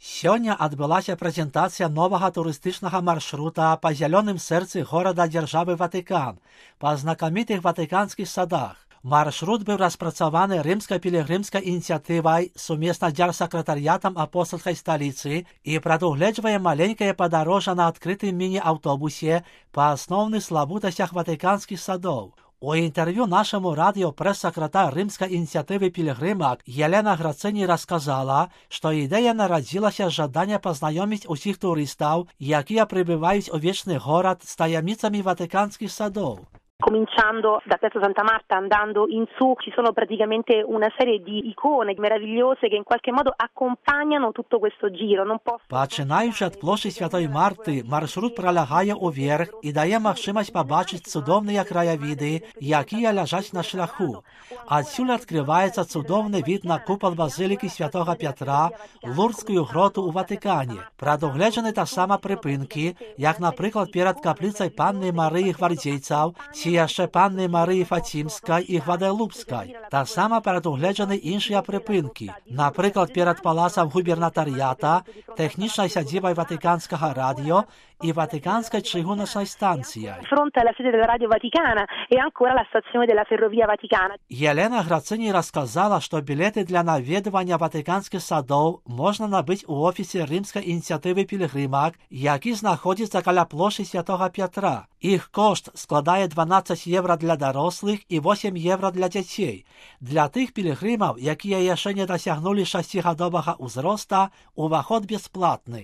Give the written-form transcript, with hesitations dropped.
Сёння адбылася прэзентацыя новага турыстычнага маршрута па зялёным сэрцы горада-дзяржавы Ватыкан, па знакамітых ватыканскіх садах. Маршрут быў распрацаваны рымска-пілігрымскай ініцыятывай сумесна з дзяржсакратарыятам апостальскай сталіцы і прадугледжвае маленькае падарожжа на адкрытым міні-аўтобусе па асноўных славутасцях ватыканскіх садоў. У інтэрв'ю нашаму радыё прэс-сакратар рымскай ініцыятывы пілігрымак Елена Грацыні расказала, што ідэя нарадзілася з жадання пазнаёміць усіх турыстаў, якія прыбываюць у вечны горад з таямніцамі ватыканскіх садоў. Cominciando da Piazza Santa Marta, andando in su, ci sono praticamente una serie di icone meravigliose che in qualche modo accompagnano tutto questo giro. Пачынаючы ад плошчы Святой Марты, маршрут пролягае ўверх і дае магчымасць пабачыць цудоўныя краявіды, якія ляжаць на шляху. Адсюль адкрываецца цудоўны від на купал базылікі Святога Пятра, Лурдскую гроту ў Ватыкане. Прадугледжаны таксама прыпынкі, як, напрыклад, перад капліцай Панны Марыі Гвардзейцаў, ці яшчэ Панны Марыі Фацімскай і Гвадалупскай. Таксама прадугледжаны іншыя прыпынкі, напрыклад, перад палацам губернатарыята, тэхнічнай сядзібай ватыканскага радыё і ватыканскай чыгуначнай станцыяй. Fronte alla sede della Radio Vaticana e ancora la stazione della Ferrovia Vaticana. Елена Грацыні расказала, што білеты для наведвання ватыканскіх садоў можна набыць у офісе рымскай ініцыятывы пілігрымак, які знаходзіцца каля плошчы Святога Пятра. Іх кошт складае 12 евро для дарослых і 8 евро для дзяцей. Для тых пілігрымаў, якія яшчэ не дасягнулі 6-гадовага ўзроста, уваход бясплатны.